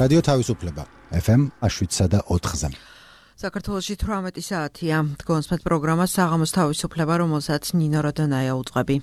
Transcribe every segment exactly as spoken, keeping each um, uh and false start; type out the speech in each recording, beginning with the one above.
რადიო თავისუფლება ეფ ემ შვიდსა და ოთხზე. საქართველოში თვრამეტი საათია. გონსმეთ პროგრამა საღამოს თავისუფლება, რომელსაც ნინო როდონაია უძღვები.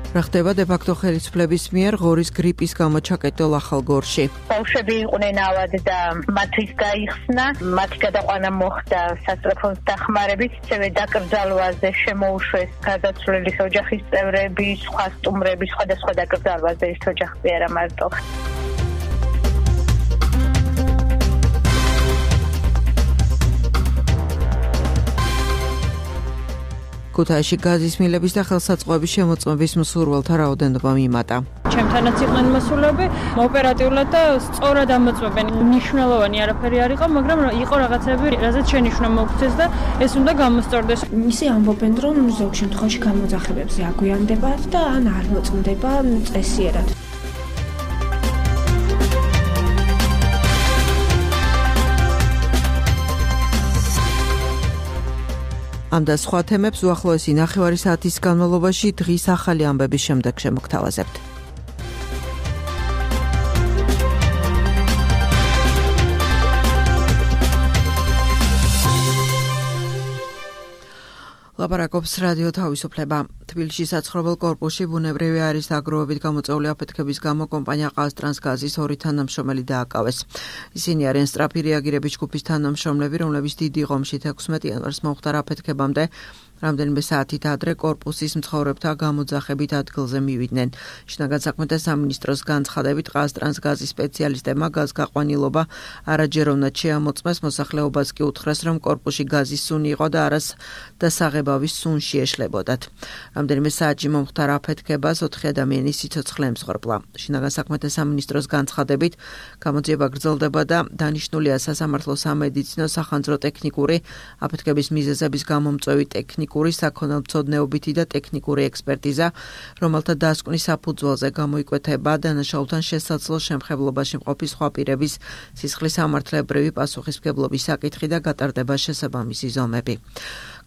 რა ხდება დე-ფაქტო ხელისუფლების მიერ ღორის გრიპის გამო ჩაკეტილ ახალგორში? ბავშვები იყვნენ ავად და მათთვის გაიხსნა, მათი გადაყვანა მოხდა სასწრაფოს დახმარებით, ისევე დაკრძალვაზე შემოუშვეს გარდაცვლილი ოჯახის წევრები, სხვა სტუმრები, სხვადასხვა დაკრძალვაზე ერთ ოჯახი არა მარტო. ქუთაისში გაზის მილების და ხელსაწყოების შემოწმების მსურველთა რაოდენობა მიმატა. ჩემთანაც იყვნენ მოსულები, ოპერატიულად და სწორად ამოწმებენ. მნიშვნელოვანი არაფერი არ იყო, მაგრამ იყო რაღაცები, რაზეც შენიშვნა მოგვცეს და ეს უნდა გამოსწორდეს. ისე ამბობენ, რომ ზოგ შემთხვევაში გამოძახებებზე აგვიანდებათ და ან არ მოწმდება წესიერად. ამ და სხვა თემებს უახლოესი ნახევარი საათის განმავლობაში დღის ახალი ამბების შემდეგ შემოგთავაზებთ. ლაპარაკობს რადიო თავისუფლება. თბილისში საცხოვრებელ კორპუსში ბუნებრივი არის დაგროვებით გამოწვეული აფეთქების გამო კომპანია ყაზტრანსგაზის ორი თანამშრომელი დააკავეს. ისინი არიან სწრაფი რეაგირების ჯგუფის თანამშრომლები, რომლებიც დიდი ღომშით ექვსმეტი იანვარს მომხდარ აფეთქებამდე რამდენიმე საათით ადრე კორპუსის მცხოვრებთა გამოძახებით ადგილზე მივიდნენ. შინაგან საქმეთა სამინისტროს განცხადებით ყაზტრანსგაზის სპეციალისტებმა გაზგაყვანილობა არაჯეროვნად შეამოწმეს, მოსახლეობას კი უთხრეს, რომ კორპუსში გაზის სუნი იყო და არას და საღებავის სუნში ეშლებოდათ. რამდენიმე საათში მომხდარ აფეთქებას ოთხი ადამიანი სიცოცხლე ემსხვერპლა. შინაგან საქმეთა სამინისტროს განცხადებით გამოძიება გრძელდება და დანიშნულია სასამართლო სამედიცინო სახანძრო ტექნიკური აფეთქების მიზეზების გამომწვევი ტექნიკური საქონელმცოდნეობითი და ტექნიკური ექსპერტიზა, რომელთა დასკვნის საფუძველზე გამოიკვეთება დანაშაულთან შესაძლო შემხებლობაში მყოფი სხვა პირების სისხლის სამართლებრივი პასუხისმგებლობის საკითხი და გატარდება შესაბამისი ზომები.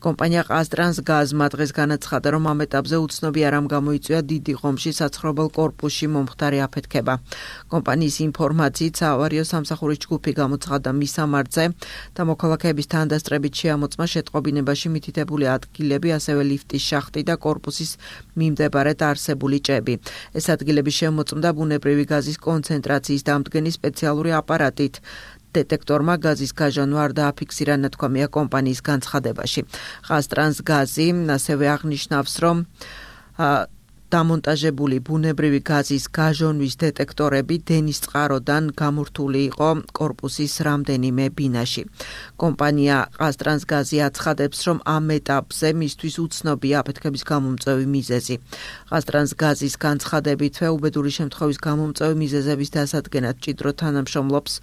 კომპანია ყაზტრანსგაზმა დღეს განაცხადა, რომ ამ ეტაპზე უცნობი არ ამ გამოიწვია დიდი ღომში საცხოვრებელ კორპუსში მომხდარი აფეთქება. კომპანიის ინფორმაციით საავარიო სამსახურის ჯგუფი გამოცხადდა მისამართზე და მოქალაქეების თანდასწრებით შეამოწმა შეტყობინებაში მითითებული ადგილები, ასევე ლიფტის შახტი და კორპუსის მიმდებარედ არსებული ჭები. ეს ადგილები შემოწმდა ბუნებრივი გაზის კონცენტრაციის დამდგენი სპეციალური აპარატით. დეტექტორმა გაზის გაჟანვა არ დააფიქსირა, ნათქვამია კომპანიის განცხადებაში. ყაზტრანსგაზი ასევე აღნიშნავს, რომ დამონტაჟებული ბუნებრივი გაზის გაჟონვის დეტექტორები დენის წყაროდან გამორთული იყო კორპუსის რამდენიმე ბინაში. კომპანია ყაზტრანსგაზი აცხადებს, რომ ამ ეტაპზე მისთვის უცნობია აფეთქების გამომწვევი მიზეზი. ყაზტრანსგაზის განცხადებითვე უბედური შემთხვევის გამომწვევი მიზეზების დასადგენად ჭიდრო თანამშრომლობს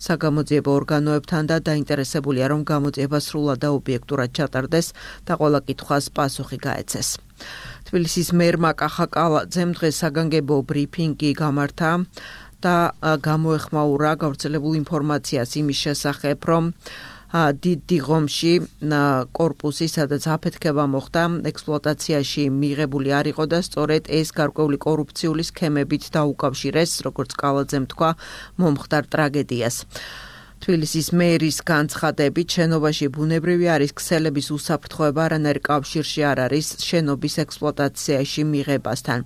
საგამოძიებო ორგანოებთან და დაინტერესებულია, რომ გამოძიება სრულად და ობიექტურად ჩატარდეს და ყველა კითხვას პასუხი გაეცეს. თბილისის მერმა კახა კალაძემ დღეს საგანგებო ბრიფინგი გამართა და გამოეხმაურა გავრცელებულ ინფორმაციას იმის შესახებ, რომ დიდი ღომში კორპუსი, სადაც აფეთქება მოხდა, ექსპლუატაციაში მიღებული არ იყო და სწორედ ეს გარკვეული კორუფციული სქემებით დაუკავშირეს, როგორც კალაძემ თქვა, მომხდარ ტრაგედიას. თბილისის მერის განცხადებით შენობაში ბუნებრივი არის ქსელების უსაფრთხოება არანაირ კავშირში არ არის შენობის ექსპლუატაციაში მიღებასთან.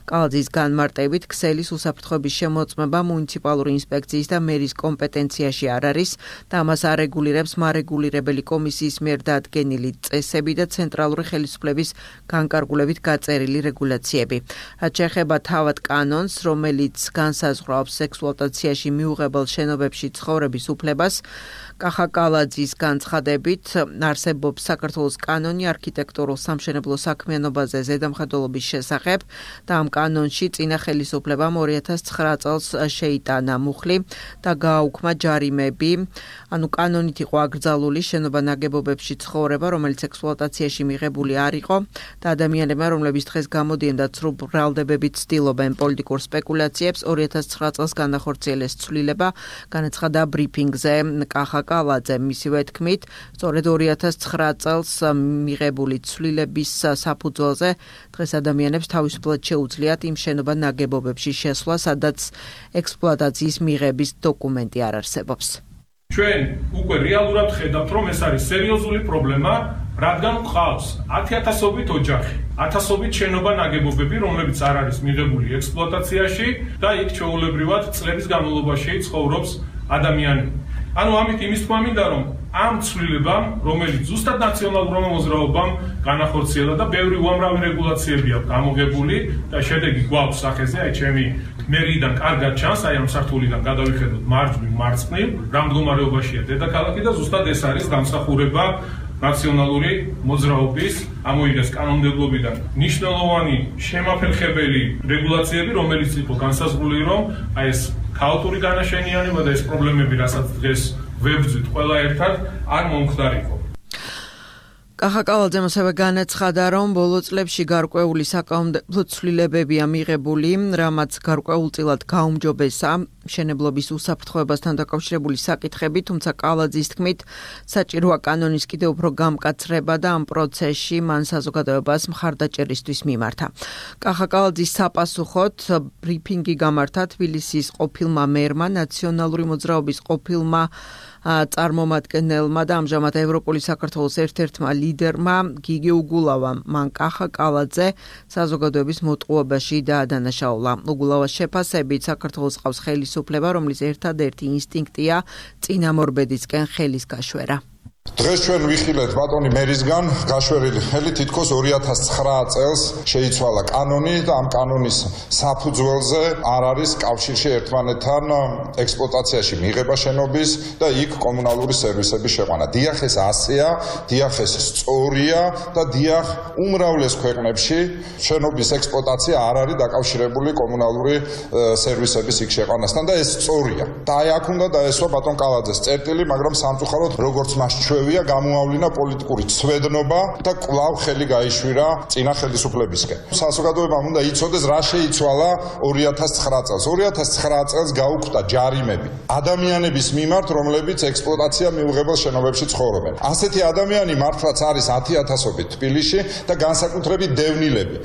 კალაძის განმარტებით ქსელის უსაფრთხოების შემოწმება მუნიციპალური ინსპექციის და მერის კომპეტენციაში არ არის და ამას არეგულირებს მარეგულირებელი კომისიის მიერ დადგენილი წესები და ცენტრალური ხელისუფლების განკარგულებით გაწერილი რეგულაციები. რაც შეეხება თავად კანონს, რომელიც განსაზღვრავს ექსპლუატაციაში მიუღებელ შენობებში ცხოვრების უფლებას, კახა კალაძის განცხადებით არსებობს საქართველოს კანონი არქიტექტურულ სამშენებლო საქმიანობაზე ზედამხედველობის შესახებ და ამ კანონში წინა ხელისუფლებამ ორი ათას ცხრა წელს შეიტანა მუხლი და გააუქმა ჯარიმები. ანუ კანონით იყო აკრძალული შენობა ნაგებობებში ცხოვრება, რომელიც ექსპლუატაციაში მიღებული არ იყო და ადამიანებმა, რომლებიც დღეს გამოდიან და ცრუ ბრალდებებით ცდილობენ პოლიტიკურ სპეკულაციებს, ორი ათას ცხრა წელს განახორციელეს ცვლილება, განაცხადა ბრიფინგ ბრიფინგზე კახა კალაძე. მისივე თქმით, სწორედ ორი ათას ცხრა წელს მიღებული ცვლილების საფუძველზე დღეს ადამიანებს თავისუფლად შეუძლიათ იმ შენობა ნაგებობებში შესვლა, სადაც ექსპლუატაციის მიღების დოკუმენტი არ არსებობს. ჩვენ უკვე რეალურად ხედავთ, რომ ეს არის სერიოზული პრობლემა, რადგან გვყავს ათიათასობით ოჯახი, ათასობით შენობა ნაგებობები, რომლებიც არ არის მიღებული ექსპლუატაციაში და იქ ჩვეულებრივად წლების განმავლობაში ცხოვრობს ადამიანი. ანუ ამით იმის თქმა მინდა, რომ ამ ცვლილებამ, რომელიც ზუსტად ნაციონალურმა მოძრაობამ განახორციელა და ბევრი უამრავი რეგულაციები აქვს გამოგებული და შედეგი გვაქვს სახეზე, აი ჩემი მერიდან კარგად ჩანს, აი ამ სართულიდან გადავიხედოთ მარჯვნივ მარცხნივ, რა მდგომარეობაშია დედაქალაქი და ზუსტად ეს არის დამსახურება ნაციონალური მოძრაობის ამოიღეს კანონმდებლობიდან მნიშვნელოვანი შემაფერხებელი რეგულაციები, რომელიც იყო განსაზღვრული, რომ აი ეს ქაოტური განაშენიანება და ეს პრობლემები, რასაც დღეს ვებრძვით ყველა ერთად, არ მომხდარიყო. კახა კალაძემ ასევე განაცხადა, რომ ბოლო წლებში გარკვეული საკანონმდებლო ცვლილებებია მიღებული, რამაც გარკვეულწილად გაუმჯობესა მშენებლობის უსაფრთხოებასთან დაკავშირებული საკითხები, თუმცა კალაძის თქმით, საჭიროა კანონის კიდევ უფრო გამკაცრება და ამ პროცესში მან საზოგადოებას მხარდაჭერისთვის მიმართა. კახა კალაძის საპასუხოდ ბრიფინგი გამართა თბილისის ყოფილმა მერმა, ნაციონალური მოძრაობის ყოფილმა წარმომადგენელმა და ამჟამად ევროპული საქართველოს ერთ-ერთმა ლიდერმა გიგი უგულავამ. მან კახა კალაძე საზოგადოების მოტყუებაში დაადანაშაულა. უგულავას შეფასებით საქართველოს ყავს ხელისუფლება, რომლის ერთადერთი ინსტინქტია წინამორბედისკენ ხელის გაშვერა. დღეს ჩვენ ვიხილეთ ბატონი მერისგან გაშვერილი ხელი, თითქოს ორი ათას ცხრა წელს შეიცვალა კანონი და ამ კანონის საფუძველზე არ არის კავშირში ერთმანეთთან ექსპლუატაციაში მიღება შენობის და იქ კომუნალური სერვისების შეყვანა. დიახ, ეს ასეა, დიახ, ეს სწორია და დიახ, უმრავლეს ქვეყნებში შენობის ექსპლუატაცია არ არის დაკავშირებული კომუნალური სერვისების იქ შეყვანასთან და ეს სწორია. და აი აქ უნდა დაესვა ბატონ კალაძეს წერტილი, მაგრამ სამწუხაროდ როგორც მას ჩვევია გამოავლინა პოლიტიკური ცვედნობა და კვლავ ხელი გაიშვირა წინა ხელისუფლებისკენ. საზოგადოებამ უნდა იცოდეს რა შეიცვალა ორი ათას ცხრა წელს. ორი ათას ცხრა წელს გაუქმდა ჯარიმები ადამიანების მიმართ, რომლებიც ექსპლუატაცია მიუღებელ შენობებში ცხოვრობენ. ასეთი ადამიანი მართლაც არის ათიათასობით თბილისში და განსაკუთრებით დევნილები.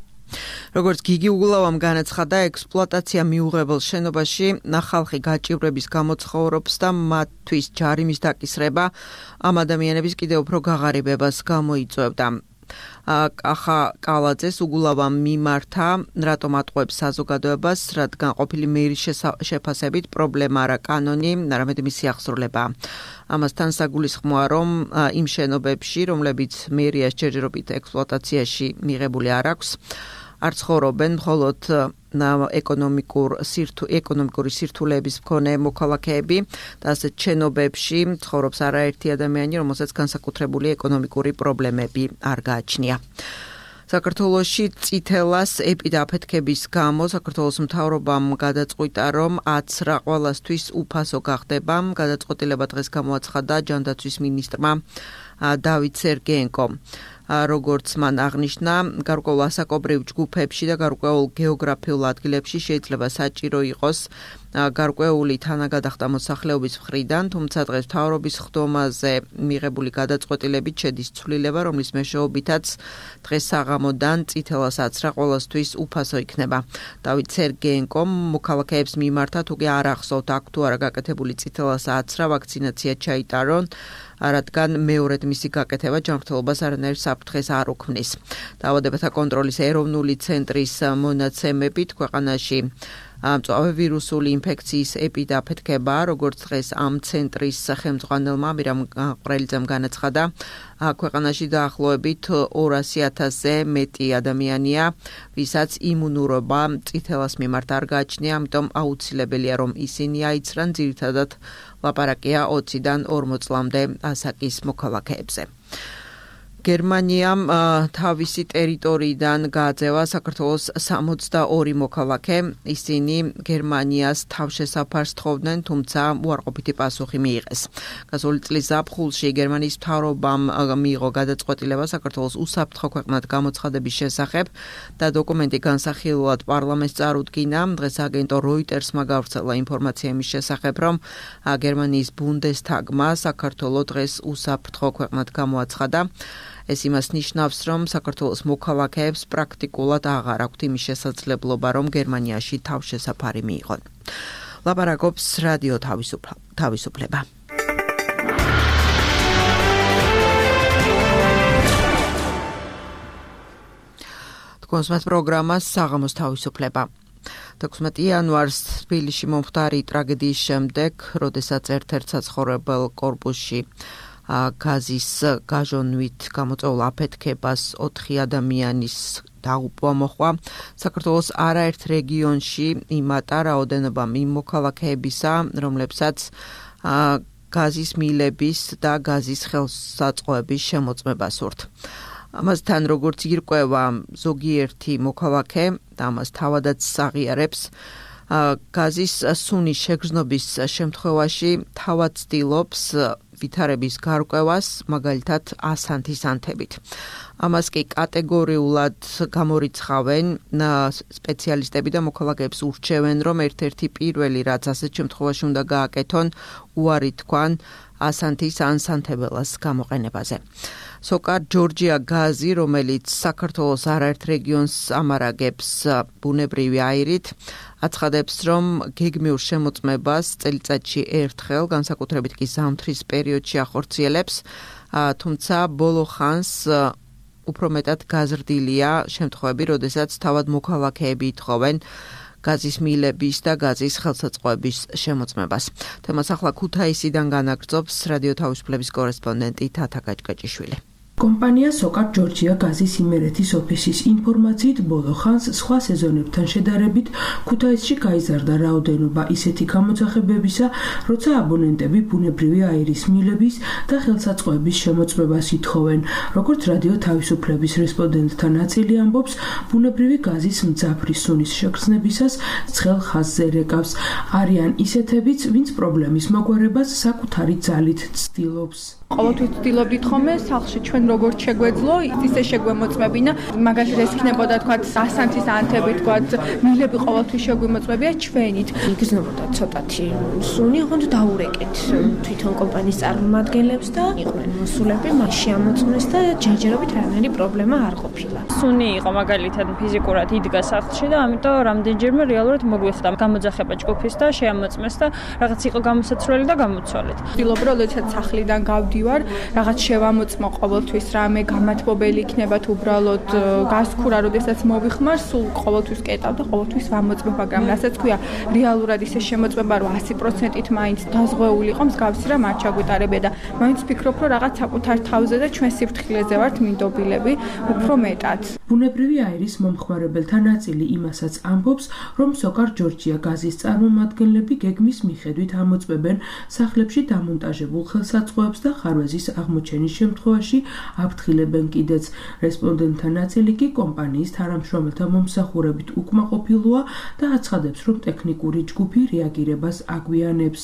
როგორც გიგი უგულავამ განაცხადა, ექსპლუატაცია მიუღებელ შენობაში ხალხი გაჭირვების გამო ცხოვრობს და მათთვის ჯარიმის დაკისრება ამ ადამიანების კიდევ უფრო გაღარიბებას გამოიწვევდა. კახა კალაძეს უგულავამ მიმართა, რატომ ატყუებს საზოგადოებას, რადგან ყოფილი მერის შეფასებით პრობლემა არა კანონი, არამედ მისი აღსრულება. ამასთან საგულისხმოა, რომ იმ შენობებში, რომლებიც მერიას ჯერჯერობით ექსპლუატაციაში მიღებული არ აქვს, არ ცხოვრობენ მხოლოდ ეკონომიკურ სირთუ ეკონომიკური სირთულეების მქონე მოქალაქეები და ასეთ შენობებში ცხოვრობს არაერთი ადამიანი, რომელსაც განსაკუთრებული ეკონომიკური პრობლემები არ გააჩნია. საქართველოში წითელას ეპიდაფეთქების გამო საქართველოს მთავრობამ გადაწყვიტა, რომ აცრა ყველასთვის უფასო გახდება. გადაწყვეტილება დღეს გამოაცხადა ჯანდაცვის მინისტრმა დავით სერგეენკომ. როგორც მან აღნიშნა, გარკვეულ ასაკობრივ ჯგუფებში და გარკვეულ გეოგრაფიულ ადგილებში შეიძლება საჭირო იყოს გარკვეული თანაგადახდა მოსახლეობის მხრიდან, თუმცა დღეს მთავრობის ხდომაზე მიღებული გადაწყვეტილებით შედის ცვლილება, რომლის მეშვეობითაც დღეს საღამოდან წითელას აცრა ყველასთვის უფასო იქნება. დავით სერგეენკომ მოქალაქეებს მიმართა, თუ კი არ ახსოვთ აქ თუ არა გაკეთებული წითელას აცრა, ვაქცინაცია ჩაიტარონ, რადგან მეორედ მისი გაკეთება ჯანმრთელობას არანაირ საფრთხეს არ უქმნის. დაავადებათა კონტროლის ეროვნული ცენტრის მონაცემებით ქვეყანაში მწვავე ვირუსული ინფექციის ეპიდაფეთქება, როგორც დღეს ამ ცენტრის ხელმძღვანელმა მირამ ყვრელიძემ განაცხადა, ქვეყანაში დაახლოებით ორასი ათასზე მეტი ადამიანია, ვისაც იმუნურობა წითელას მიმართ არ გააჩნია, ამიტომ აუცილებელია, რომ ისინი აიცრან, ძირითადად ლაპარაკია ოციდან ორმოც წლამდე ასაკის მოქალაქეებზე. გერმანიამ თავისი ტერიტორიიდან გააძევა საქართველოს სამოცდაორი მოქალაქე. ისინი გერმანიას თავშესაფარს თხოვდნენ, თუმცა უარყოფითი პასუხი მიიღეს. გასული წლის ზაფხულში გერმანიის მთავრობამ მიიღო გადაწყვეტილება საქართველოს უსაფრთხო ქვეყნად გამოცხადების შესახებ და დოკუმენტი განსახილულად პარლამენტს წარუდგინა. დღეს აგენტო როიტერსმა გავრცელა ინფორმაცია იმის შესახებ, რომ გერმანიის ბუნდესტაგმა საქართველოს დღეს უსაფრთხო ქვეყნად გამოაცხადა. ეს იმას ნიშნავს, რომ საქართველოს მოქალაქეებს პრაქტიკულად აღარ აქვთ იმის შესაძლებლობა, რომ გერმანიაში თავშესაფარი მიიღონ. ლაპარაკობს რადიო თავისუფლება. თქვენს პროგრამას საღამოს თავისუფლება. თექვსმეტი იანვარს თბილისში მომხდარი ტრაგედიის შემდეგ, როდესაც ერთ-ერთ საცხოვრებელ კორპუსში გაზის გაჟონვით გამოწვეულ აფეთქებას ოთხი ადამიანის დაუპვა მოხდა, საქართველოს არაერთ რეგიონში იმატა რაოდენობა იმ მოქალაქეებისა, რომლებსაც გაზის მილების და გაზის ხელსაწყოების შემოწმება სურთ. ამასთან, როგორც ირკვევა ზოგიერთი მოქალაქე და ამას თავადაც აღიარებს, გაზის სუნის შეგრძნობის შემთხვევაში თავად ცდილობს ვითარების გარკვევას, მაგალითად ასანთის ანთებით. ამას კი კატეგორიულად გამორიცხავენ სპეციალისტები და მოქალაქეებს ურჩევენ, რომ ერთ-ერთი პირველი, რაც ასეთ შემთხვევაში უნდა გააკეთონ, უარი თქვან ასანთის ან სანთებელას გამოყენებაზე. სოკარ ჯორჯია გაზი, რომელიც საქართველოს არაერთ რეგიონს ამარაგებს ბუნებრივი აირით, აცხადებს, რომ გეგმიურ შემოწმებას წელიწადში ერთხელ, განსაკუთრებით კი ზამთრის პერიოდში ახორციელებს, თუმცა ბოლო ხანს უფრო მეტად გაზრდილია შემთხვევები, როდესაც თავად მოქალაქეები ითხოვენ გაზის მილების და გაზის ხელსაწყოების შემოწმებას. თემას ახლა ქუთაისიდან განაგრძობს რადიო თავისუფლების კორესპონდენტი თათა გაჭკაჭიშვილი. კომპანია სოკარ ჯორჯია გაზის იმერეთის ოფისის ინფორმაციით ბოლო ხანს სხვა სეზონებთან შედარებით ქუთაისში გაიზარდა რაოდენობა ისეთი გამოძახებებისა, როცა აბონენტები ბუნებრივი აირის მილების და ხელსაწყოების შემოწმებას ითხოვენ. როგორც რადიო თავისუფლების რესპონდენტთა ნაწილი ამბობს, ბუნებრივი გაზის მძაფრი სუნის შეგრძნებისას ცხელ ხაზზე რეკავს. არიან ისეთებიც, ვინც პრობლემის მოგვარებას საკუთარი ძალით ცდილობს. ყოველთვის ვცდილობდით ხოლმე სახლში ჩვენ როგორც შეგვეძლო, ისე შეგვემოწმებინა. მაგალითად ეს იქნებოდა თქვა ასანთის ანთები, თქვა მილები ყოველთვის შეგვიმოწმებია ჩვენით. იგრძნობოდა ცოტათი სუნი, ხონდ დაურეკეთ თვითონ კომპანიის წარმომადგენლებს და იყვნენ მოსულები, მას შეამოწმეს და ჯერჯერობით რანაირი პრობლემა არ ყოფილა. სუნი იყო მაგალითად ფიზიკურად იდგა სახლში და ამიტომ რამდენჯერმე რეალურად მოგვიხდა გამოძახება ჯგუფის და შეამოწმეს და რაღაც იყო გამოსაცვლელი და გამოცვალეთ. ვცდილობ რომ როდესაც სახლიდან გავდი ვარ, რაღაც შევამოწმო ყოველთვის რამე გამათბობელი იქნება თუ უბრალოდ გასქურა, როდესაც მოვიხმარ, სულ ყოველთვის კეტავ და ყოველთვის ვამოწმებ, მაგრამ რასაც ქვია, რეალურად ისე შემოწმება, რომ ასი პროცენტით მაინც დაზღვეული იყო, მსგავსი რამ არ ჩაგვიტარებია და მაინც ვფიქრობ, რომ რაღაც საკუთარ თავზე და ჩვენ სიფრთხილეზე ვართ მინდობილები, უფრო მეტად. ბუნებრივი აირის მომხმარებელთა ნაწილი იმასაც ამბობს, რომ სოკარ ჯორჯია გაზის წარმომადგენლები გეგმის მიხედვით ამოწმებენ სახლებში დამონტაჟებულ ხელსაწყოებს და ხარვეზის აღმოჩენის შემთხვევაში აფრთხილებენ კიდეც. რესპონდენტთა ნაწილი კი კომპანიის თანამშრომელთა მომსახურებით უკმაყოფილოა და აცხადებს, რომ ტექნიკური ჯგუფი რეაგირებას აგვიანებს.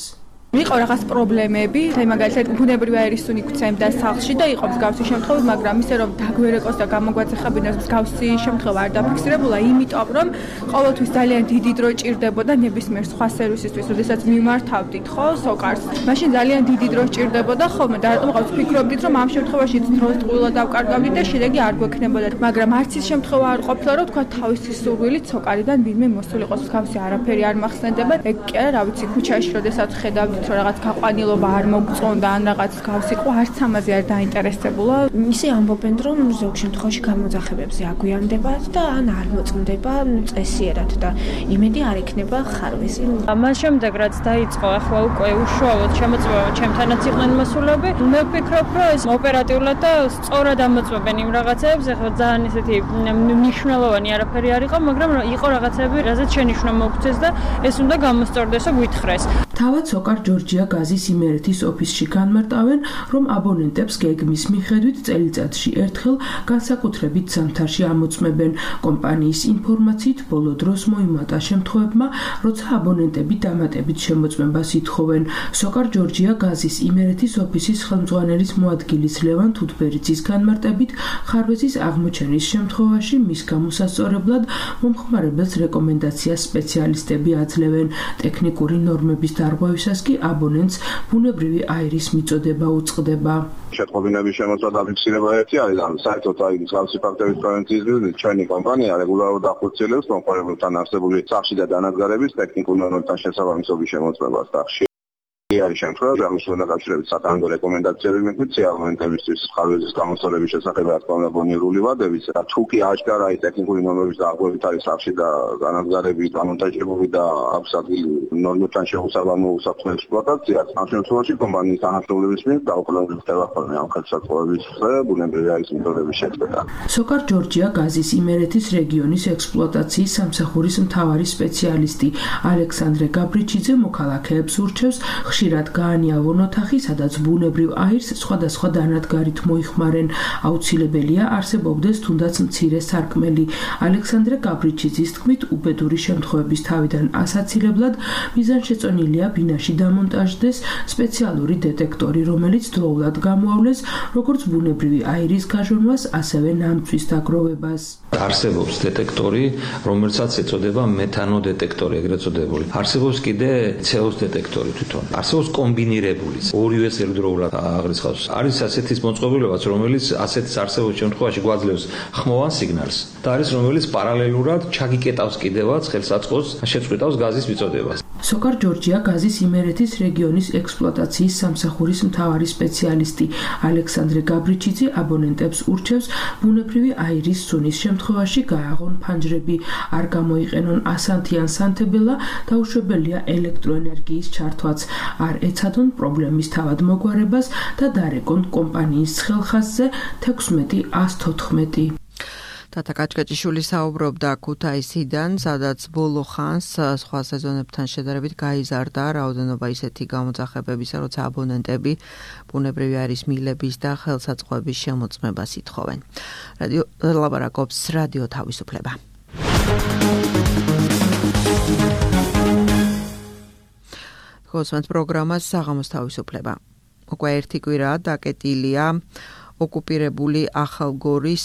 იყო რაღაც პრობლემები, აი მაგალითად ბუნებრივი აირის სუნი გვცემდა სახლში და იყო მსგავსი შემთხვევა, მაგრამ ისე რომ დაგვერეკოს და გამოგვაწეხებინოს მსგავსი შემთხვევა არ დაფიქსირებულა, იმიტომ რომ ყოველთვის ძალიან დიდი დრო ჭირდებოდა ნებისმიერ სხვა სერვისისთვის, როდესაც მიმართავდით ხო სოკარს. მაშინ ძალიან დიდი დრო ჭირდებოდა ხოლმე და რატომ ყავს ფიქრობდით, რომ ამ შემთხვევაში დროს ტყუილად დავკარგავდით და შედეგი არ გვექნებოდა. მაგრამ არც ის შემთხვევა არ ყოფილა, რომ თქვა თავისი სურვილით სოკარიდან ვინმე მოსულიყოს, მსგავსი არაფერი არ მახსენდება. ეგ კი არა, რა ვიცი, ქუჩაში როდესაც ხედავდით რომ რაღაც გაყვანილობა არ მოგწონდა ან რაღაც გავს იყო, არც ამაზე არ დაინტერესებულა. ისე ამბობენ, რომ ზოგ შემთხვევაში გამოძახებებზე აგვიანდებათ და ან არ მოწმდება წესიერად და იმედი არ იქნება ხარვეზი. ამას შემდეგ რაც დაიწყო, ახლა უკვე უშუალოდ შემოწმება ჩემთანაც იყვნენ მოსულები. მე ვფიქრობ, რომ ეს ოპერატიულად და სწორად ამოწმებენ იმ რაღაცებს, ახლა ძალიან ისეთი მნიშვნელოვანი არაფერი არ იყო, მაგრამ იყო რაღაცები, რაზეც შენიშვნა მოგცეს და ეს უნდა გამოსწორდეს და გვითხრეს. თავად სოკარ ჯორჯია გაზის იმერეთის ოფისში განმარტავენ, რომ აბონენტებს გეგმის მიხედვით წელიწადში ერთხელ განსაკუთრებით ზამთარში ამოწმებენ. კომპანიის ინფორმაციით ბოლო დროს მოიმატა შემთხვევებმა, როცა აბონენტები დამატებით შემოწმებას ითხოვენ. სოკარ ჯორჯია გაზის იმერეთის ოფისის ხელმძღვანელის მოადგილის ლევან თუთბერიძის განმარტებით, ხარვეზის აღმოჩენის შემთხვევაში მის გამოსასწორებლად მომხმარებელს რეკომენდაციას სპეციალისტები აძლევენ. ტექნიკური ნორმების დარღვევისას კი აბონენტს ბუნებრივი აირის მიწოდება უწყდება. შეტყობინების შემოსვლა დაფიქსირება ერთი არის, ანუ საერთოდ აი მსგავსი ფაქტების პრევენციის მიზნით ჩვენი კომპანია რეგულარულად ახორციელებს მომხმარებელთან არსებული სახში და დანადგარების ტექნიკურ ნორმებთან შესაბამისობის შემოწმებას და არის შემთხვევა, აღმოსავლეთ დაკავშირებით სატანგო რეკომენდაციები მეგვიწია აბონენტებისთვის ხარვეზის გამოსწორების შესახებ რა თქმა უნდა ბონირული ვადების და თუ კი აშკარა ის ტექნიკური ნორმების დაახლოებით არის სახში და განადგარებით, დამონტაჟებული და აქვს ადგილი ნორმებთან შეუსაბამო უსაფრთხო ექსპლუატაციას, ამ შემთხვევაში კომპანიის თანამშრომლების მიერ დაუყოვნებლივ ხდება ხოლმე ამ ხელსაწყოების ბუნებრივი აირის მიწოდების შეწყვეტა. სოკარ ჯორჯია გაზის იმერეთის რეგიონის ექსპლუატაციის სამსახურის მთავარი სპეციალისტი ალექსანდრე გაბრიჩიძე მოქალაქეებს ურჩევს ხშირად გაანიავონ ოთახი, სადაც ბუნებრივ აირს სხვადასხვა დანადგარით მოიხმარენ. აუცილებელია არსებობდეს თუნდაც მცირე სარკმელი. ალექსანდრე გაბრიჩიძის თქმით, უბედური შემთხვევების თავიდან ასაცილებლად მიზანშეწონილია ბინაში დამონტაჟდეს სპეციალური დეტექტორი, რომელიც დროულად გამოავლეს როგორც ბუნებრივი აირის გაჟონვას, ასევე ნამწვის დაგროვებას. არსებობს დეტექტორი, რომელსაც ეწოდება მეთანო დეტექტორი, ეგრეთ წოდებული. არსებობს კიდე ცეოს დეტექტორი თვითონ. არსებობს კომბინირებული, ორივეს ერთდროულად აღრიცხავს. არის ასეთის მოწყობილობაც, რომელიც ასეთის არსებობის შემთხვევაში გვაძლევს ხმოვან სიგნალს და არის რომელიც პარალელურად ჩაგიკეტავს კიდევაც ხელსაწყოს, შეწყვეტავს გაზის მიწოდებას. სოკარ ჯორჯია გაზის იმერეთის რეგიონის ექსპლუატაციის სამსახურის მთავარი სპეციალისტი ალექსანდრე გაბრიჩიძე აბონენტებს ურჩევს ბუნებრივი აირის სუნის შემთხვევაში გააღონ ფანჯრები, არ გამოიყენონ ასანთიან სანთებელა, დაუშვებელია ელექტროენერგიის ჩართვაც, არ ეცადონ პრობლემის თავად მოგვარებას და დარეკონ კომპანიის ხელხაზზე თექვსმეტი ას თოთხმეტი. თათა კაჭკაჭიშვილი საუბრობდა ქუთაისიდან, სადაც ბოლო ხანს სხვა სეზონებთან შედარებით გაიზარდა რაოდენობა ისეთი გამოძახებებისა, როცა აბონენტები ბუნებრივი აირის მილების და ხელსაწყოების შემოწმებას ითხოვენ. რადიო ლაბარაკობს რადიო თავისუფლება. გოსმენთ პროგრამას საღამოს თავისუფლება. უკვე ერთი კვირაა დაკეტილია ოკუპირებული ახალგორის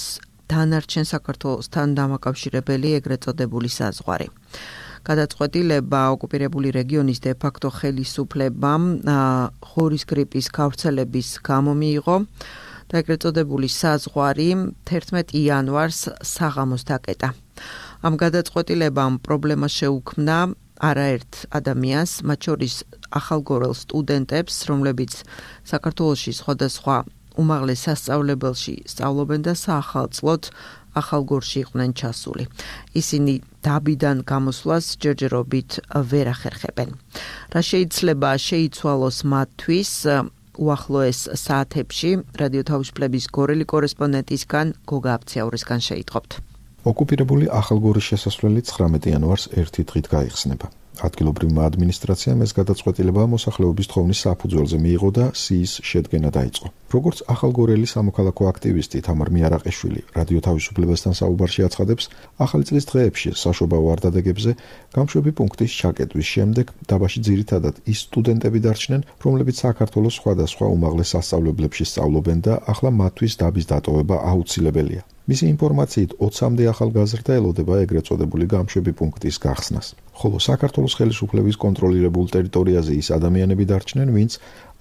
დანარჩენ საქართველოსთან დამაკავშირებელი ეგრეთ წოდებული საზღვარი. გადაწყვეტილება ოკუპირებული რეგიონის დე-ფაქტო ხელისუფლებამ ღორის გრიპის გავრცელების გამო მიიღო და ეგრეთ წოდებული საზღვარი თერთმეტი იანვარს საღამოს დაკეტა. ამ გადაწყვეტილებამ პრობლემა შეუქმნა არაერთ ადამიანს, მათ შორის ახალგორელ სტუდენტებს, რომლებიც საქართველოში სხვადასხვა უმაღლეს სასწავლებელში სწავლობენ და საახალწლოდ ახალგორში იყვნენ ჩასული. ისინი დაბიდან გამოსვლას ჯერჯერობით ვერ ახერხებენ. რა შეიძლება შეიცვალოს მათთვის უახლოეს საათებში რადიო თავისუფლების გორელი კორესპონდენტისგან გოგა აფციაურისგან შეიტყობთ. ოკუპირებული ახალგორის შესასვლელი ცხრამეტი იანვარს ერთი დღით გაიხსნება. ადგილობრივმა ადმინისტრაციამ ეს გადაწყვეტილება მოსახლეობის თხოვნის საფუძველზე მიიღო და სიის შედგენა დაიწყო. როგორც ახალგორელი სამოქალაქო აქტივისტი თამარ მიარაყიშვილი რადიო თავისუფლებასთან საუბარში აცხადებს, ახალი წლის დღეებში საშობაო ვარდადეგებზე გამშვები პუნქტის ჩაკეტვის შემდეგ დაბაში ძირითადად ის სტუდენტები დარჩნენ, რომლებიც საქართველოს სხვადასხვა უმაღლეს სასწავლებლებში სწავლობენ და ახლა მათთვის დაბის დატოვება აუცილებელია. მისი ინფორმაციით ოცამდე ახალგაზრდა ელოდება ეგრეთ წოდებული გამშვები პუნქტის გახსნას. ხოლო საქართველოს ხელისუფლების კონტროლირებულ ტერიტორიაზე ის ადამიანები დარჩნენ, ვინც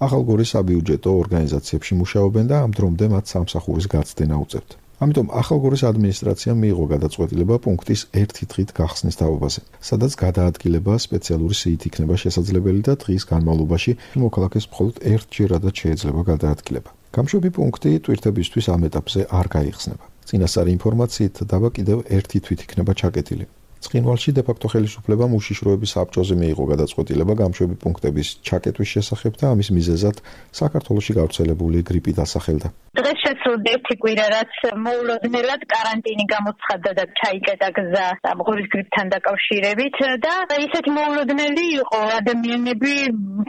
ახალგორის საბიუჯეტო ორგანიზაციებში მუშაობენ და ამ დრომდე მათ სამსახურის გაცდენა უწევთ. ამიტომ ახალგორის ადმინისტრაციამ მიიღო გადაწყვეტილება პუნქტის ერთი დღით გახსნის თაობაზე, სადაც გადაადგილება სპეციალური სიით იქნება შესაძლებელი და დღის განმავლობაში მოქალაქეს მხოლოდ ერთჯერადაც შეიძლება გადაადგილება. გამშვები პუნქტი ტვირთებისთვის ამ ეტაპზე არ გაიხსნება. წინასწარი ინფორმაციით დაბა კიდევ ერთი თვით იქნება ჩაკეტილი. ცხინვალში დე-ფაქტო ხელისუფლებამ უშიშროების საბჭოზე მიიღო გადაწყვეტილება გამშვები პუნქტების ჩაკეტვის შესახებ და ამის მიზეზად საქართველოში გავრცელებული გრიპი დასახელდა. დღეს შესრულდა ერთი კვირა, რაც მოულოდნელად каранტინი გამოცხადდა და ჩაიკეტა გზა ამღურის გრიპთან დაკავშირებით და ისეთი მოულოდნელი იყო, ადამიანები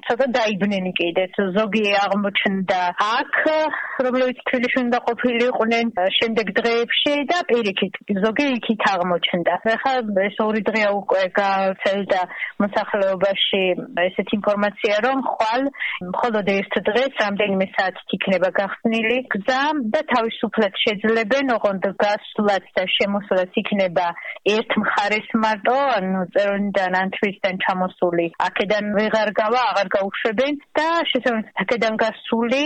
ცოტა დაიბნენ კიდეც. ზოგი აღმოჩნდა აქ, რომლებიც თბილისში უნდა ყოფილიყვნენ შემდეგ დღეებში და პირიქით ზოგი იქით აღმოჩნდა. ახლა ეს ორი დღეა უკვე გავრცელდა მოსახლეობაში ესეთი ინფორმაცია, რომ ხვალ მხოლოდ ერთ დღეს რამდენიმე საათით იქნება გახსნილი გზა და თავისუფლად შეძლებენ, ოღონდ გასვლაც და შემოსვლაც იქნება ერთ მხარეს მარტო, ანუ წერონიდან ან თვისთან ჩამოსული აქედან ვეღარ გავა, აღარ გაუშვებენ და შესაბამისად აქედან გასული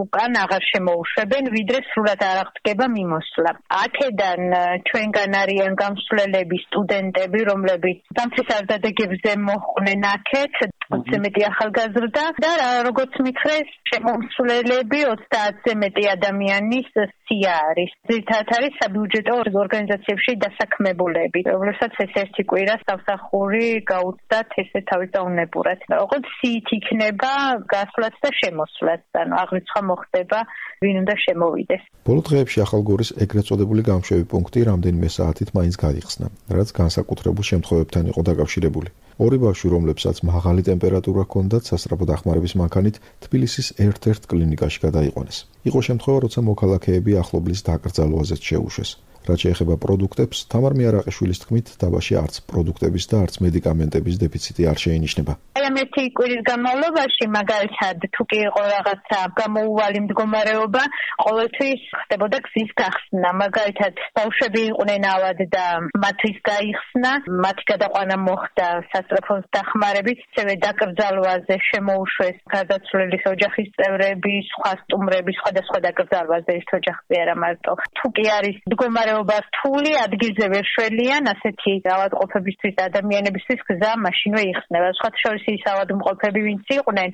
უკან აღარ შემოუშვებენ, ვიდრე სრულად არ აღდგება მიმოსვლა. აქედან ჩვენგან არიან გამსვლელები, სტუდენტები, რომლებიც დამცესარდადეგებზე მოხვდნენ აქეთ, ოცზე მეტი ახალგაზრდა და როგორც მითხრეს, შემომსვლელები ოცდაათზე მეტი ადამიანის სია არის. ძირითადად არის საბიუჯეტო ორგანიზაციებში დასაქმებულები, რომლებსაც ეს ერთი კვირა სამსახური გაუწდათ ესე თავის დაუნებურად. ოღონდ სიით იქნება გასვლაც და შემოსვლაც, ანუ აღრიცხვა მოხდება, ვინ უნდა შემოვიდეს. ბოლო დღეებში ახალგორის ეგრეთ წოდებული გამშვები პუნქტი რამდენიმე საათით მაინც გაიხსნა, რაც განსაკუთრებულ შემთხვევებთან იყო დაკავშირებული. ორი ბავშვი, რომლებსაც მაღალი ტემპერატურა ჰქონდათ, სასწრაფო დახმარების მანქანით თბილისის ერთ-ერთ კლინიკაში გადაიყვანეს. იყო შემთხვევა, როცა მოქალაქეები ახლობლის დაკრძალვაზეც შეუშვეს. რაც შეეხება პროდუქტებს, თამარ მიარაყიშვილის თქმით, დაბაში არც პროდუქტების და არც მედიკამენტების დეფიციტი არ შეინიშნება. აი ამ ერთი კვირის განმავლობაში, მაგალითად, თუ კი იყო რაღაცა გამოუვალი მდგომარეობა, ყოველთვის ხდებოდა გზის გახსნა. მაგალითად, ბავშვები იყვნენ ავად და მათთვის გაიხსნა, მათი გადაყვანა მოხდა სასწრაფო დახმარებით, ისევე დაკრძალვაზე შემოუშვეს გარდაცვლილის ოჯახის წევრები, სხვა სტუმრები, სხვადასხვა დაკრძალვაზე ერთ ოჯახზე არა მარტო. თუ კი არის მდგომარეობა რთული, ადგილზე ვერ შველიან, ასეთი ავადმყოფებისთვის და ადამიანებისთვის გზა მაშინვე იხსნება. სხვათა შორის ის ავადმყოფები, ვინც იყვნენ,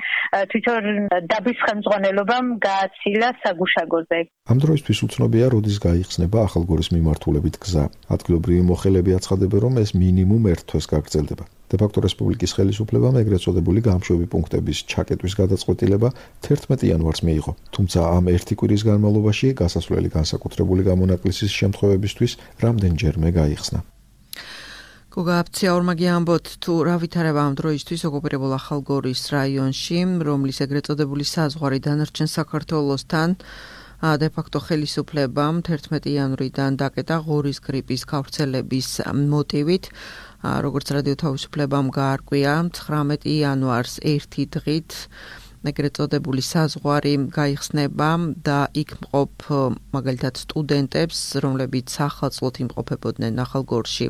თვითონ დაბის ხელმძღვანელობამ გააცილა საგუშაგოზე. ამ დროისთვის უცნობია, როდის გაიხსნება ახალგორის მიმართულებით გზა. ადგილობრივი მოხელეები აცხადებენ, რომ ეს მინიმუმ ერთ თვეს გაგრძელდება. დე-ფაქტო რესპუბლიკის ხელისუფლებამ ეგრეთ წოდებული გამშვები პუნქტების ჩაკეტვის გადაწყვეტილება თერთმეტი იანვარს მიიღო. თუმცა ამ ერთი კვირის განმავლობაში გასასვლელი განსაკუთრებული გამონაკლისის შემთხვევებისთვის რამდენჯერმე გაიხსნა. გოგა აფციაურმაგი ამბობთ, თუ რა ვითარება ამ დროისთვის ოკუპირებულ ახალგორის რაიონში, რომლის ეგრეთ წოდებული საზღვარი დანარჩენ საქართველოსთან დე-ფაქტო ხელისუფლებამ თერთმეტი იანვრიდან დაკეტა ღორის გრიპის გავრცელების მოტივით. როგორც რადიო თავისუფლებამ გაარკვია, ცხრამეტი იანვარს ერთი დღით ეგრეთ წოდებული საზღვარი გაიხსნება და იქ მყოფ მაგალითად სტუდენტებს, რომლებიც სახალხოდ იმყოფებოდნენ ახალგორში.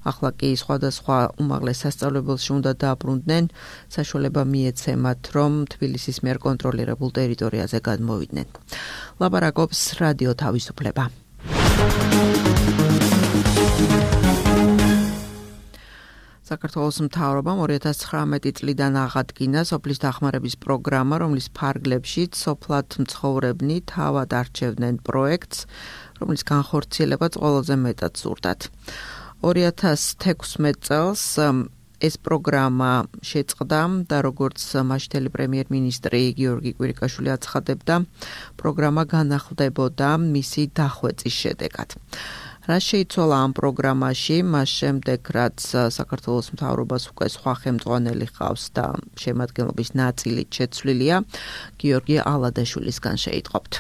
ახლა კი სხვადასხვა უმაღლეს სასწავლებელში უნდა დააბრუნდნენ, საშუალება მიეცემათ, რომ თბილისის მიერ კონტროლირებულ ტერიტორიაზე გადმოვიდნენ. ლაპარაკობს რადიო თავისუფლება. საქართველოს მთავრობამ ორი ათას ცხრამეტი წლიდან აღადგინა სოფლის დახმარების პროგრამა, რომლის ფარგლებშიც სოფლად მცხოვრებნი თავად არჩევდნენ პროექტს, რომლის განხორციელებაც ყველაზე მეტად სურდათ. ორი ათას თექვსმეტ წელს ეს პროგრამა შეწყდა და როგორც მაშინდელი პრემიერ-მინისტრი გიორგი კვირიკაშვილი აცხადებდა, პროგრამა განახლდებოდა მისი დახვეწის შედეგად. რა შეიცვალა ამ პროგრამაში, მას შემდეგ, რაც საქართველოს მთავრობას უკვე სხვა ხელმძღვანელი ჰყავს და შემადგენლობის ნაწილით შეცვლილია, გიორგი ალადაშვილისგან შეიტყობთ.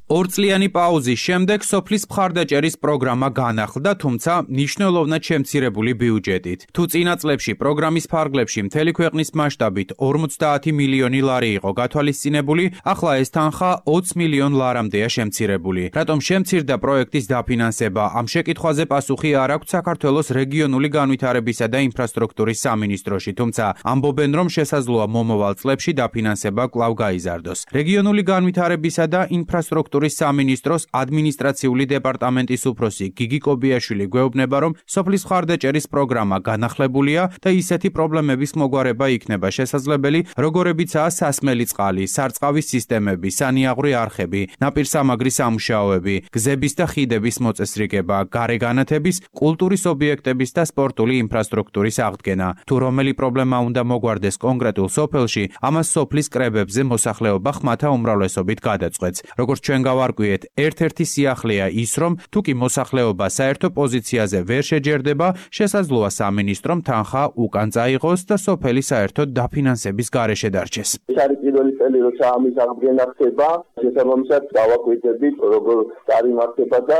ორწლიანი პაუზის შემდეგ სოფლის მხარდაჭერის პროგრამა განახლდა, თუმცა მნიშვნელოვნად შემცირებული ბიუჯეტით. თუ წინა წლებში პროგრამის ფარგლებში მთელი ქვეყნის მასშტაბით ორმოცდაათი მილიონი ლარი იყო გათვალისწინებული, ახლა ეს თანხა ოცი მილიონ ლარამდეა შემცირებული. რატომ შემცირდა პროექტის დაფინანსება? ამ შეკითხვაზე პასუხი არ აქვს საქართველოს რეგიონული განვითარებისა და ინფრასტრუქტურის სამინისტროში, თუმცა ამბობენ, რომ შესაძლოა მომავალ წლებში დაფინანსება კვლავ გაიზარდოს. რეგიონული განვითარებისა და ინფრასტრუქტურის სამინისტროს ადმინისტრაციული დეპარტამენტის უფროსი გიგი კობიაშვილი გვეუბნება, რომ სოფლის მხარდაჭერის პროგრამა განახლებულია და ისეთი პრობლემების მოგვარება იქნება შესაძლებელი, როგორებიცაა სასმელი წყალი, სარწყავის სისტემები, სანიაღვრე არხები, ნაპირსამაგრის სამუშაოები, გზების და ხიდების მოწესრიგება, გარეგანათების, კულტურის ობიექტების და სპორტული ინფრასტრუქტურის აღდგენა. თუ რომელი პრობლემა უნდა მოგვარდეს კონკრეტულ სოფელში, ამას სოფლის კრებებზე მოსახლეობა ხმათა უმრავლესობით გადაწყვეტს. როგორც ჩვენ გავარკვიეთ, ერთ-ერთი სიახლეა ის, რომ თუ კი მოსახლეობა საერთო პოზიციაზე ვერ შეჯერდება, შესაძლოა სამინისტრომ თანხა უკან წაიღოს და სოფელი საერთოდ დაფინანსების გარეშე დარჩეს. ეს არის პირველი წელი, როცა ამის აღდგენა ხდება, შესაბამისად დავაკვირდებით, როგორ წარიმართება და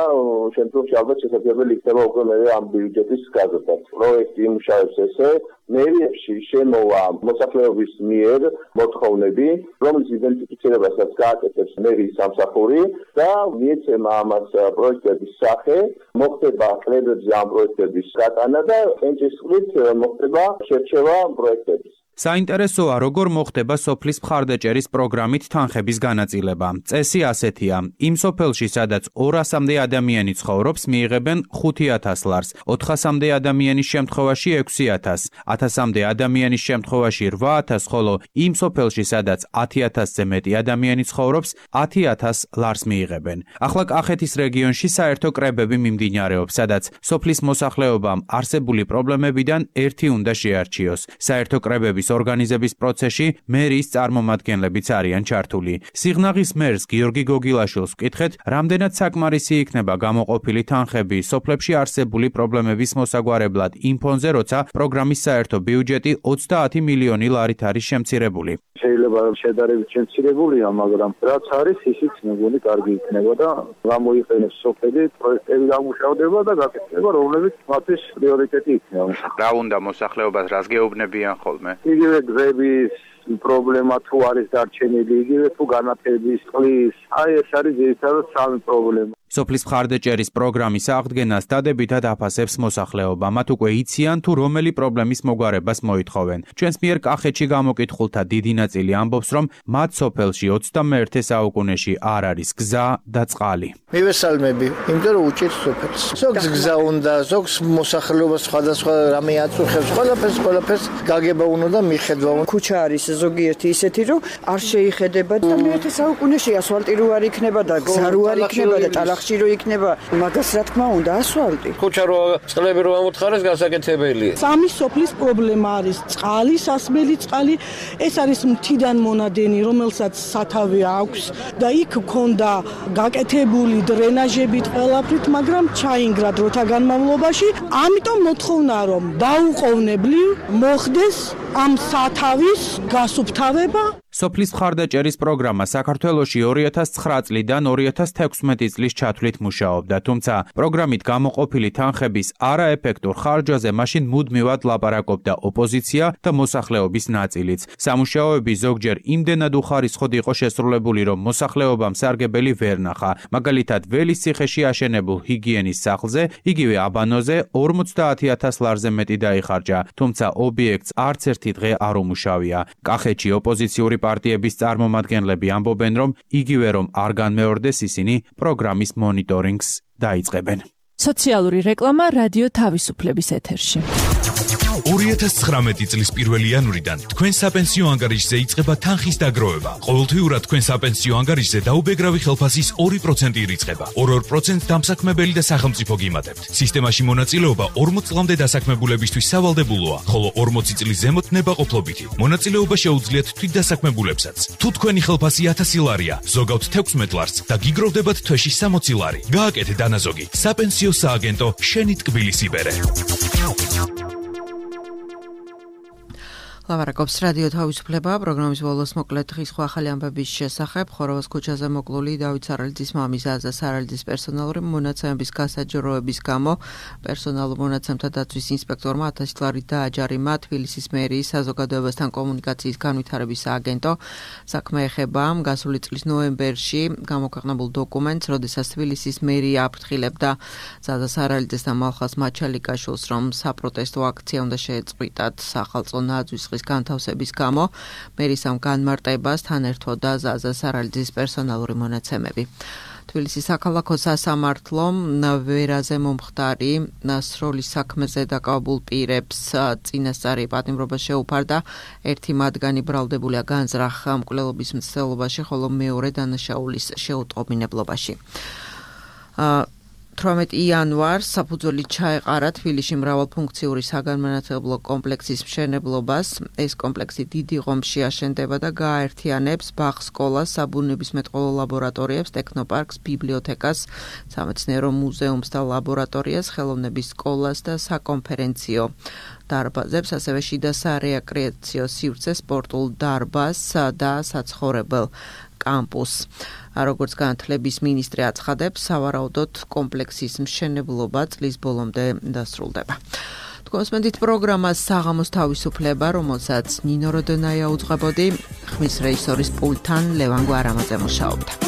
შემდგომში ალბათ შესაძლებელი იქნება უკვე მე ამ ბიუჯეტის გაზრდაც. პროექტი იმუშავებს ესე, მერიებში შემოვა მოსახლეობის მიერ მოთხოვნები, რომლის იდენტიფიცირებასაც გააკეთებს მერიის სამსახური და მიეცემა ამას პროექტების სახე, მოხდება კრებებზე ამ პროექტების გატანა და ენჭისყრით მოხდება შერჩევა პროექტების. საინტერესოა, როგორ მოხდება სოფლის მხარდაჭერის პროგრამით თანხების განაწილება. წესი ასეთია: იმ სოფელში, სადაც ორასამდე ადამიანი ცხოვრობს, მიიღებენ ხუთი ათას ლარს, ოთხასამდე ადამიანის შემთხვევაში ექვსი ათასი, ათასამდე ადამიანის შემთხვევაში რვა ათასი, ხოლო იმ სოფელში, სადაც ათი ათასზე მეტი ადამიანი ცხოვრობს, ათი ათას ლარს მიიღებენ. ახლა კახეთის რეგიონში საერთო კრებები მიმდინარეობს, სადაც სოფლის მოსახლეობამ არსებული პრობლემებიდან ერთი უნდა შეარჩიოს. საერთო კრებების ორგანიზების პროცესში მერიის წარმომადგენლებიც არიან ჩართული. სიღნაღის მერს გიორგი გოგილაშვილს ვკითხეთ, რამდენად საკმარისი იქნება გამოყოფილი თანხები სოფლებში არსებული პრობლემების მოსაგვარებლად იმ ფონზე, როცა პროგრამის საერთო ბიუჯეტი ოცდაათი მილიონი ლარით არის შემცირებული. შეიძლება შედარებით შემცირებულია, მაგრამ რაც არის, ისიც მეგონი კარგი იქნება და გამოიყენებს სოფელი, პროექტები დამუშავდება და გაკეთდება, რომლებიც მათთვის პრიორიტეტი იქნება. რა უნდა მოსახლეობას რას გეუბნებიან ხოლმე? იგივე გზების პრობლემა თუ არის დარჩენილი, იგივე თუ განათლების, წყლის, აი ეს არის ძირითადად სამი პრობლემა. სოფლის მხარდაჭერის პროგრამის აღდგენას დადებითად აფასებს მოსახლეობა. მათ უკვე იციან თუ რომელი პრობლემის მოგვარებას მოითხოვენ. ჩვენს მიერ კახეთში გამოკითხულთა დიდი ნაწილი ამბობს, რომ მათ სოფელში ოცდამეერთე საუკუნეში არ არის გზა და წყალი. მივესალმები, იმიტომ რომ უჭირს სოფელს. ზოგს გზა უნდა, ზოგს მოსახლეობა სხვადასხვა რამე აწუხებს, ყველაფერს ყველაფერს გაგება უნდა და მიხედვა უნდა. ქუჩა არის ზოგიერთი ისეთი, რომ არ შეიხედება და მეერთე საუკუნეში ასფალტი რო არ იქნება და გზა რო არ იქნება და ტალახში რო იქნება, მაგას რა თქმა უნდა ასფალტი. ქუჩა რო წყლები რო ამოთხარეს გასაკეთებელია. სამი სოფლის პრობლემა არის წყალი, სასმელი წყალი, ეს არის მთიდან მონადენი, რომელსაც სათავე აქვს და იქ ქონდა გაკეთებული დრენაჟებით ყველაფრით, მაგრამ ჩაინგრა დროთა განმავლობაში, ამიტომ მოთხოვნა რომ დაუყოვნებლივ მოხდეს ამ სათავის გასუფთავება. სოფლის მხარდაჭერის პროგრამა საქართველოში ორი ათას ცხრა წლიდან ორი ათას თექვსმეტი წლის ჩათვლით მუშაობდა, თუმცა პროგრამით გამოყოფილი თანხების არაეფექტურ ხარჯვაზე მაშინ მუდმივად ლაპარაკობდა ოპოზიცია და მოსახლეობის ნაწილიც. სამუშაოები ზოგჯერ იმდენად უხარისხოდ იყო შესრულებული, რომ მოსახლეობამ სარგებელი ვერ ნახა. მაგალითად, ველის ციხეში აშენებულ ჰიგიენის სახლზე, იგივე აბანოზე ორმოცდაათი ათას ლარზე მეტი დაიხარჯა, თუმცა ობიექტს არც ერთი დღე არ უმუშავია. კახეთში ოპოზიციური პარტიების წარმომადგენლები ამბობენ, რომ იგივე რომ არ განმეორდეს, ისინი პროგრამის მონიტორინგს დაიწყებენ. სოციალური რეკლამა რადიო თავისუფლების ეთერში. ორი ათას ცხრამეტი წლის პირველი იანვრიდან თქვენ საპენსიო ანგარიშზე იწყება თანხის დაგროვება. ყოველთვიურად თქვენ საპენსიო ანგარიშზე დაუბეგრავი ხელფასის ორი პროცენტი ირიცხება. ორ-ორ პროცენტს დამსაქმებელი და სახელმწიფო გიმატებთ. სისტემაში მონაწილეობა ორმოც წლამდე დასაქმებულებისთვის სავალდებულოა, ხოლო ორმოცი წლის ზემოთ ნებაყოფლობითი. მონაწილეობა შეუძლიათ თვითდასაქმებულებსაც. თუ თქვენი ხელფასი ათასი ლარია, ზოგავთ თექვსმეტ ლარს და გიგროვდებათ თვეში სამოცი ლარი. გააკეთე დანაზოგი. საპენსიო სააგენტო შენი ტკბილის იბერე. ლავარაკობს რადიო თავისუფლება, პროგრამის ბოლოს მოკლედ დღის სხვა ახალი ამბების შესახებ. ხოროვას ქუჩაზე მოკლული დავით სარალიძის მამის აზა სარალიძის პერსონალური მონაცემების გასაჯროების გამო პერსონალურ მონაცემთა დაცვის ინსპექტორმა ათასი ლარი დააჯარიმა თბილისის მერიის საზოგადოებასთან კომუნიკაციის განვითარების სააგენტო. საქმე ეხება გასული წლის ნოემბერში გამოქვეყნებულ დოკუმენტს, როდესაც თბილისის მერია აფრთხილებდა აზა სარალიძეს და მალხაზ მაჩალიკაშვილს, რომ საპროტესტო აქცია უნდა შეეწყვიტათ სახალხო ნაძვის განთავსების გამო. მერის ამ განმარტებას თან ერთვოდა ზაზა სარალიძის პერსონალური მონაცემები. თბილისის საქალაქო სასამართლომ ვერაზე მომხდარი სროლის საქმეზე დაკავებულ პირებს წინასწარი პატიმრობა შეუფარდა. ერთი მათგანი ბრალდებულია განზრახ მკვლელობის მცდელობაში, ხოლო მეორე დანაშაულის შეუტყობინებლობაში. თვრამეტი იანვარს საფუძველი ჩაეყარა თბილისში მრავალფუნქციური საგანმანათლებლო კომპლექსის მშენებლობას. ეს კომპლექსი დიდი ღომში აშენდება და გააერთიანებს ბაღ სკოლას, საბუნებისმეტყველო ლაბორატორიებს, ტექნოპარკს, ბიბლიოთეკას, სამეცნიერო მუზეუმს და ლაბორატორიას, ხელოვნების სკოლას და საკონფერენციო დარბაზებს, ასევე შიდა სარეაკრეაციო სივრცე, სპორტულ დარბაზს და საცხოვრებელ კამპუსს. როგორც განათლების მინისტრი აცხადებს, სავარაუდოდ კომპლექსის მშენებლობა წლის ბოლომდე დასრულდება. თქვენს მენდით პროგრამას საღამოს თავისუფლება, რომელსაც ნინო როდონაია უძღვებოდი, ხმის რეჟისორის პულტთან ლევან გვარამაძე მუშაობდა.